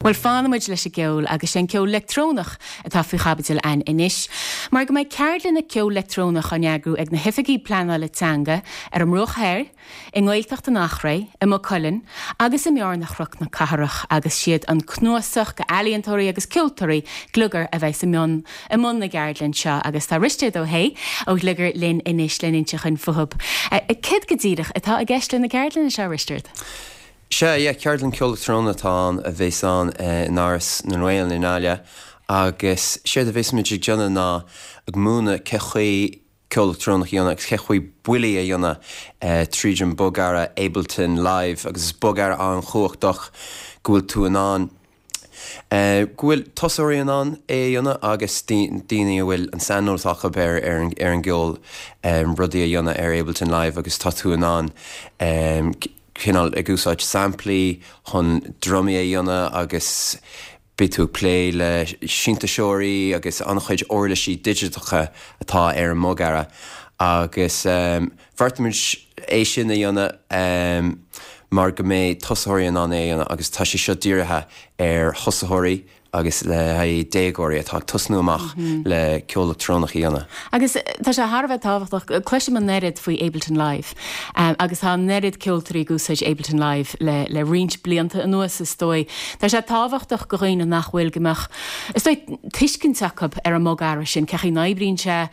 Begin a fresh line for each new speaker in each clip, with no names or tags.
Bhuel, fanfaidh muid leis an gceol agus sé an ceol leictreonach atá faoi chaibidil againn anois, mar go mbeidh ceardlanna ceol leictreonach á n-eagrú ag na hOifigigh Pleanála Teanga ar an mBruach Thoir, i nGaeltacht an Eachréidh, i Maigh Cuilinn agus i mBearna Chnoc na Cathrach agus siad an cnuasach d'ealaíontóirí agus ceoltóirí Gliogar a bheidh i mbun i mbun na gceardlann seo agus tá Risteard Ó hAodha ó Ghliogar linn anois le n-inse dhuinn fúthub. Céard go díreach atá i gceist le na ceardlanna seo, a Risteard?
Sea, yeah, ceardlann ceol leictreonach atá ann a bheas ann in Áras na nGael i nGaillimh agus séard a bheas muid ag déanamh ná ag múineadh cé chaoi ceol leictreonach a dhéanamh agus cé chaoi buillí a dhéanamh tríd an bogearra Ableton Live agus is bogearra an-chumhachtach go bhfuil tú in ann go bhfuil tosóirí in ann é a dhéanamh agus daoine a bhfuil an saineolas acu ar ar an gceol rudaí a dhéanamh ar Ableton Live agus tá tú in ann cineál ag úsáid samplaí chun drumaí a dhéanamh agus Beidh tú ag plé le sintéiseoirí agus an-chuid uirlisí digiteacha atá ar an mbogearra agus bheartaigh muid é sin a dhéanamh mar go mbeidh tosaitheoirí in ann é a dhéanamh agus tá sé seo dírithe ar thosaitheoirí agus le haghaidh déagóirí atá ag tosnú amach le ceol leictreonach a dhéanamh.
Agus tá sé thar a bheith tábhachtach, cloisim an oiread faoi Ableton Live agus tá an oiread ceoltóirí ag úsáid Ableton Live le le roinnt blianta anuas is dóigh. Tá sé tábhachtach go dhaoine nach bhfuil go mbeadh, is dóigh, tuiscint acu ar an mbogearra sin, cé chaoi n-oibríonn sé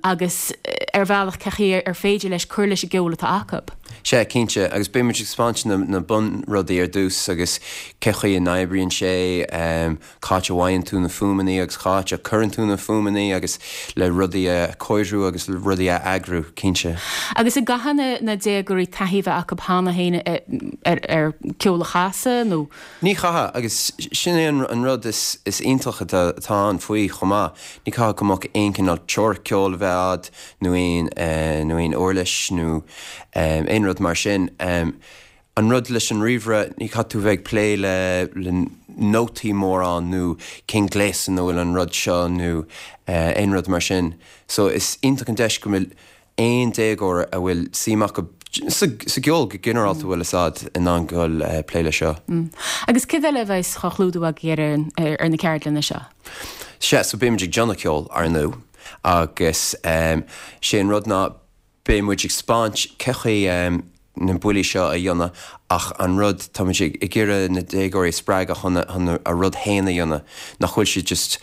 agus ar bhealach cé chaoi ar féidir leis cur leis an gceol atá acu.
Sea, cinnte, agus beidh muid ag spáint na na bunrudaí ar dtús agus cé chaoi a n-oibríonn sé, cá háit a bhfaigheann tú na fuaimeanna agus cá háit a cuireann tú na fuaimeanna agus le rudaí a chóiriú agus le rudaí a eagrú, cinnte.
Agus an gcaithfidh na na déagóirí taithí a bheith acu cheana féin ar ar ceol a chasadh nó?
Ní chaithfidh, agus sin é an rud is iontach atá ann faoi chomh maith, ní chaithfidh go mbeadh aon chineál teoiric ceoil a bheith a'd nó aon nó aon uirlis nó aon rud mar sin. An rud leis an ríomhaire, ní chaithfidh tú bheith ag plé le le nótaí mórán nó cén gléas ina bhfuil an rud seo nó aon rud mar sin. So is iontach an deis go bhfuil aon déagóir a bhfuil suim acu sa gceol go ginearálta bhfuil fhios a'd in ann dul plé leis seo.
Agus céard eile a bheas á chlúdú agaibh ar ar na ceardlanna seo?
Sea, so beidh muid ag déanamh ceoil, ar ndóigh, agus sé an rud ná beidh muid ag spáint cé chaoi na buillí seo a dhéanamh ach an rud, tá muid ag iarraidh na déagóirí a spreagadh chun a rud féin a dhéanamh, nach bhfuil siad just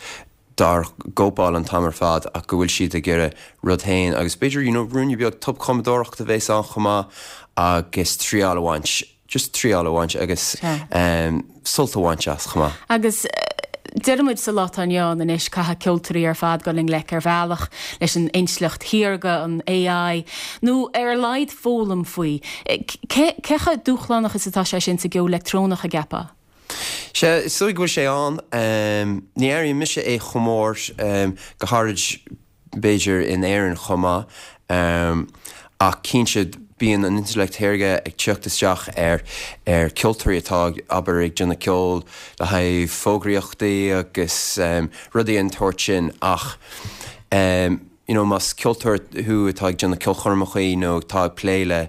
dár gcóipeáil an t-am ar fad ach go bhfuil siad ag iarraidh rud féin agus b'fhéidir you know ruainne beag tobchumadóireacht a bheas ann chomh maith agus triail a bhaint, just triail a bhaint agus sult a bhaint as chomh maith.
Agus deir muid sa lá atá inniu ann anois caithfidh ceoltóirí ar fad dul i ngleic ar bhealach leis an intleacht shaorga, an AI, nó ar a laghad foghlaim faoi. Cé chomh dúshlánach is atá sé sin sa gceol leictreonach, an gceapfá?
Sea, is dóigh go bhfuil sé ann. Ní airím mise é chomh mór, go háirid b'fhéidir in Éirinn chomh maith. Ach cinnte, bíonn an intleacht shaorga ag teacht isteach ar ar ceoltóirí atá, abair, ag déanamh ceoil le haghaidh fógraíochtaí agus rudaí den tsórt sin. Ach. You know, más ceoltóir thú atá ag déanamh ceolchoirmeachaí nó atá ag plé le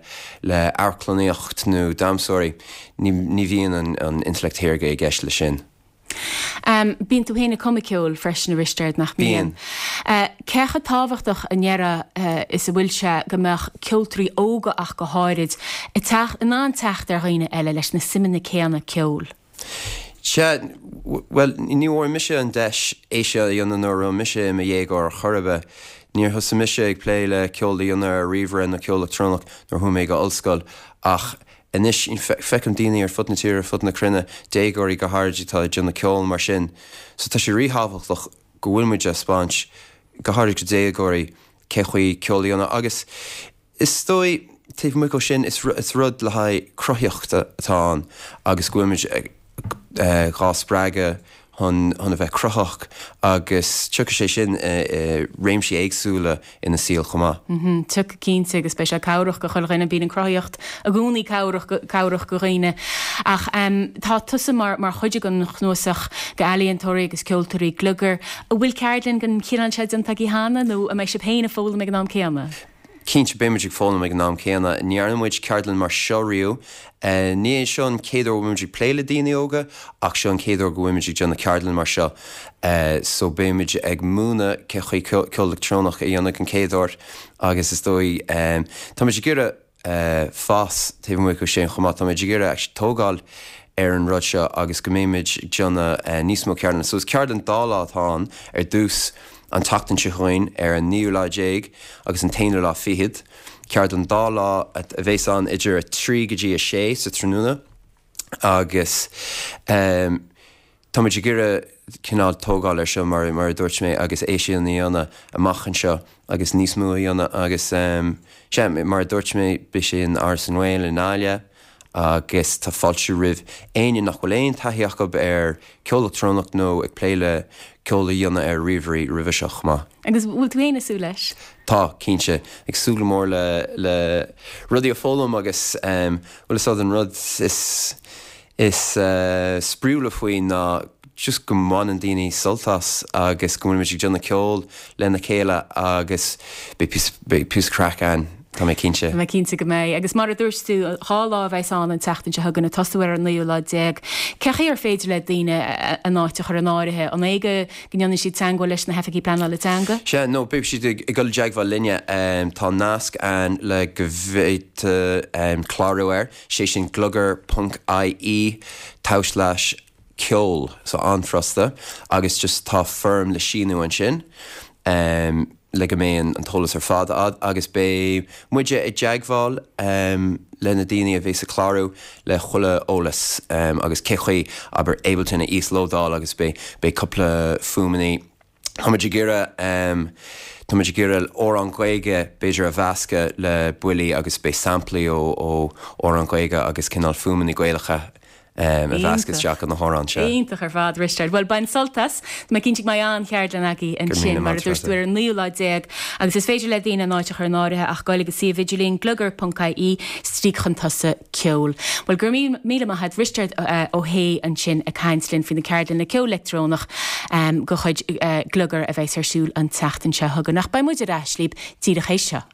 le amharclannaíocht nó damhsóirí, ní ní bhíonn an an intleacht shaorga i gceist leis sin.
Em, bíonn tú féin ag cumadh ceoil freisin, a Risteaird, nach mbíonn?
Bíonn.
Eh, cé chomh tábhachtach a ndéarfá eh, is a bhfuil sé go mbeadh ceoltóirí óga ach go háirid ag teacht, in ann teacht ar dhaoine eile leis na suimeanna céanna ceoil?
Sea, bhuel, ní bhfuair mise an deis é seo a dhéanamh nuair a raibh mise i mo dhéagóir ar chor ar bith. Níor thosaigh mise ag plé le ceol a dhéanamh ar ríomhaire nó ceol leictreonach nuair a chuaigh mé go ollscoil ach anois feicim daoine ar fud na tíre, ar fud na cruinne, déagóirí go háirid atá ag déanamh ceol mar sin. So tá sé ríthábhachtach go bhfuil muid á spáint, go háirid do dhéagóirí, cé chaoi ceol a dhéanamh agus Is dóigh, taobh amuigh dhó sin, is rud le haghaidh cruthaíochta atá ann agus go bhfuil muid dhá spreagadh chun a bheith cruthaitheach agus tiocfaidh sé sin i réimsí éagsúla ina saol chomh maith.
Tiocfaidh cinnte agus beidh sé cabhrach go chuile dhuine. Bíonn an chruthaíocht i gcónaí cabhrach cabhrach go dhaoine. Ach tá tusa mar mar chuid den chnuasach d'ealaíontóirí agus ceoltóirí Gliogar. An bhfuil ceardlann den chineál seo déanta agaibh cheana nó an mbeidh sibh féin ag foghlaim ag an am céanna?
Cinnte, beidh muid ag foghlaim ag an am céanna. Ní dhearna muid ceardlann mar seo riamh. Ní hé seo an chéad uair go bhfuil muid ag plé le daoine óga ach seo an chéad uair go bhfuil muid ag déanamh ceardlann mar seo. So beidh muid ag múineadh cé chaoi ceol leictreonach a dhéanamh den chéad uair agus is dóigh tá muid ag iarraidh fás taobh amuigh de sin chomh maith. Tá muid ag iarraidh actually tógáil ar an rud seo agus go mbeidh muid ag déanamh níos mó ceardlanna. So is ceardlann dá lá atá ann ar dtús an tseachtain seo chugainn ar an naoú lá déag agus an t-aonú lá fichead. Ceardlann dá lá a bheas ann idir 3 go dtí 6 sa tráthnóna agus tá muid ag iarraidh cineál tógáil ar seo mar mar a dúirt mé agus é sin a dhéanamh amach anseo agus níos mó a dhéanamh agus sea mar a dúirt mé beidh sé in Áras na nGael i nGaillimh agus tá fáilte roimh éinne nach bhfuil aon taithí acu ar ceol leictreonach nó ag plé le ceol a dhéanamh ar ríomhairí roimhe seo chomh maith.
Agus bhfuil tú féin ag súil leis?
Tá, cinnte. Ag súil go mór le le rudaí a foghlaim agus bhfuil fhios a'd an rud is is spraíúla faoi ná just go mbaineann daoine sult as agus go bhfuil muid ag déanamh ceol lena chéile agus beidh píosa beidh píosa craic ann, tá mé cinnte.
Tá mé cinnte go mbeidh. Agus mar a dúirt tú, 2 lá a bheas ann an tseachtain seo chugainn, ag tosú ar an naoú lá déag. Cé chaoi ar féidir le daoine a n-áit a chur in áirithe? An é go ndéanann siad teagmháil leis na hoifigí pleanála teanga?
Sea, nó beidh siad ag dul i dteagmháil linne. Tá nasc ann le go bhféadfá clárú air, sé sin gliogar ponc ie tulslais ceol, so an-fhurasta agus just tá foirm le síniú ansin le go mbeidh an t-eolas ar fad a'd agus beidh muide i dteagmháil le na daoine a bheas ag clárú le chuile eolas agus cé chaoi, abair, Ableton a íoslódáil agus beidh beidh cúpla fuaimeannaí. Tá muid ag iarraidh tá muid ag iarraidh amhrán Gaeilge b'fhéidir a mheascadh le buillí agus beidh samplaí ó ó amhrán Gaeilge agus cineál fuaimeanna Gaelacha a mheascadh isteach in na hamhráin seo.
Iontach ar fad, Risteard. Bhuel, bain sult as. Tá mé cinnte go mbeidh an-cheardlann agaibh ansin, mar a dúirt tú, ar an naoú lá déag. Agus is féidir le daoine a n-áit a chur in áirithe ach goil ag an suíomh idirlín gliogar.ie stríoc chun tosaigh ceol. Bhuel, go raibh míle maith a't, Risteard Ó hAodha ansin ag caint linn faoi na ceardlanna ceol leictreonach de chuid Gliogar a bheas ar siúl an tseachtain seo chugainn. Ach beidh muid ar ais libh díreach théis seo.